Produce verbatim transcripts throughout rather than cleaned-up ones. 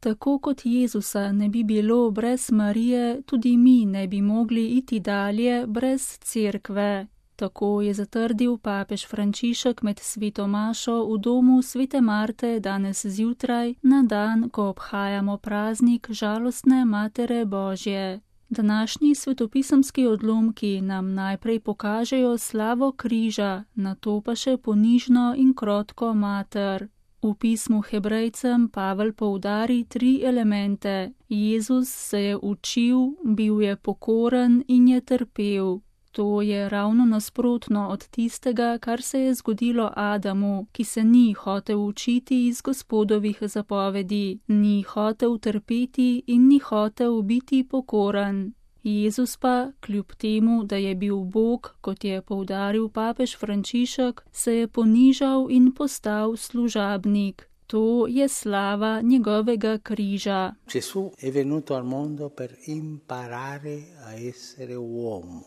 tako kot Jezusa ne bi bilo brez Marije, tudi mi ne bi mogli iti dalje brez cerkve. Tako je zatrdil papež Frančišek med sveto mašo v domu svete Marte danes zjutraj, na dan, ko obhajamo praznik žalostne Matere Božje. Današnji svetopisemski odlomki nam najprej pokažejo slavo križa, nato pa še ponižno in krotko mater. V pismu Hebrejcem Pavel poudari tri elemente. Jezus se je učil, bil je pokoren in je trpel. To je ravno nasprotno od tistega, kar se je zgodilo Adamu, ki se ni hotel učiti iz Gospodovih zapovedi, ni hotel trpeti in ni hotel biti pokoren. Jezus pa, kljub temu, da je bil Bog, kot je poudaril papež Frančišek, se je ponižal in postal služabnik. To je slava njegovega križa. Gesù è venuto al mondo per imparare a essere uomo.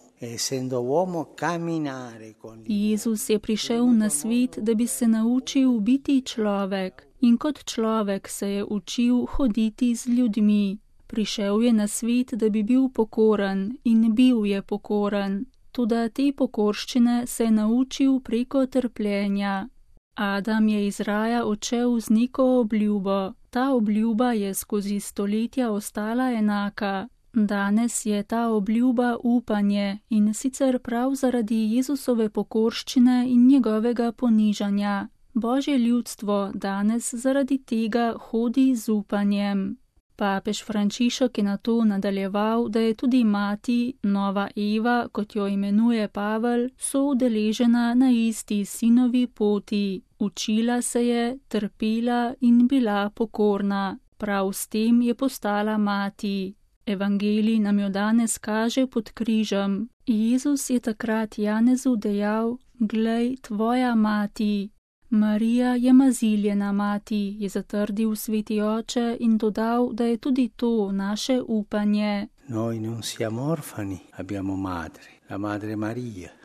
Jezus je prišel na svet, da bi se naučil biti človek, in kot človek se je učil hoditi z ljudmi. Prišel je na svet, da bi bil pokoren, in bil je pokoren. Toda te pokorščine se je naučil preko trpljenja. Adam je iz raja odšel z neko obljubo. Ta obljuba je skozi stoletja ostala enaka. Danes je ta obljuba upanje, in sicer prav zaradi Jezusove pokorščine in njegovega ponižanja. Božje ljudstvo danes zaradi tega hodi z upanjem. Papež Frančišek je nato nadaljeval, da je tudi mati, nova Eva, kot jo imenuje Pavel, soudeležena na isti sinovi poti. Učila se je, trpela in bila pokorna. Prav s tem je postala mati. Evangelij nam jo danes kaže pod križem. Jezus je takrat Janezu dejal: "Glej, tvoja mati." Marija je maziljena mati, je zatrdil sveti oče in dodal, da je tudi to naše upanje. Noi non siamo orfani, abbiamo madre, la madre Maria.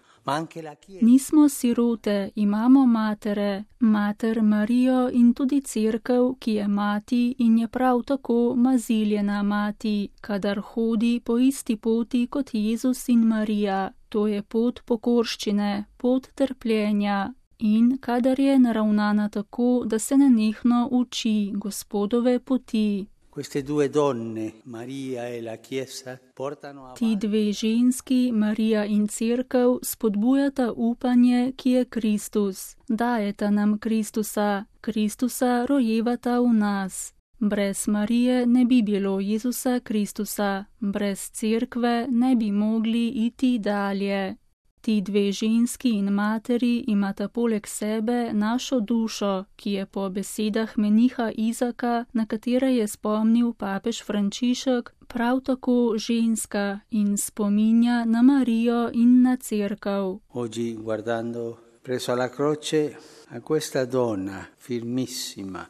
Nismo sirote, imamo matere, mater Marijo in tudi cerkev, ki je mati in je prav tako maziljena mati, kadar hodi po isti poti kot Jezus in Marija. To je pot pokorščine, pot trpljenja. In kadar je naravnana tako, da se nenehno uči Gospodove poti. Ti dve ženski, Marija in cerkev, spodbujata upanje, ki je Kristus. Dajeta nam Kristusa, Kristusa rojevata v nas. Brez Marije ne bi bilo Jezusa Kristusa, brez cerkve ne bi mogli iti dalje. Ti dve ženski in materi imata poleg sebe našo dušo, ki je po besedah meniha Izaka, na katere je spomnil papež Frančišek, prav tako ženska in spominja na Marijo in na cerkev. Oggi, guardando presso alla croce a questa donna firmissima,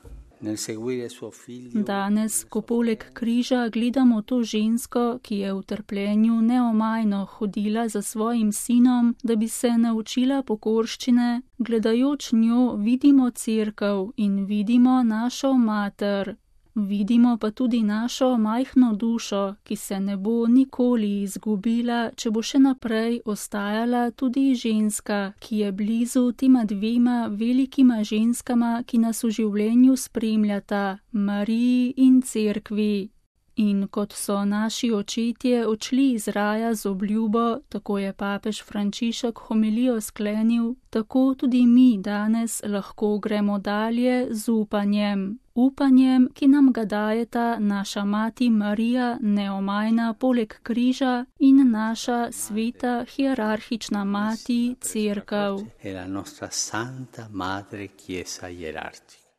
Danes, ko poleg križa gledamo to žensko, ki je v trpljenju neomajno hodila za svojim sinom, da bi se naučila pokorščine, gledajoč njo vidimo cerkev in vidimo našo mater. Vidimo pa tudi našo majhno dušo, ki se ne bo nikoli izgubila, če bo še naprej ostajala tudi ženska, ki je blizu tema dvema velikima ženskama, ki nas v življenju spremljata, Mariji in cerkvi. In kot so naši očetje odšli iz raja z obljubo, tako je papež Frančišek homilijo sklenil, tako tudi mi danes lahko gremo dalje z upanjem. Upanjem, ki nam ga dajeta naša mati Marija neomajna poleg križa in naša sveta hierarhična mati cerkev. E la nostra santa madre chiesa hierarchica.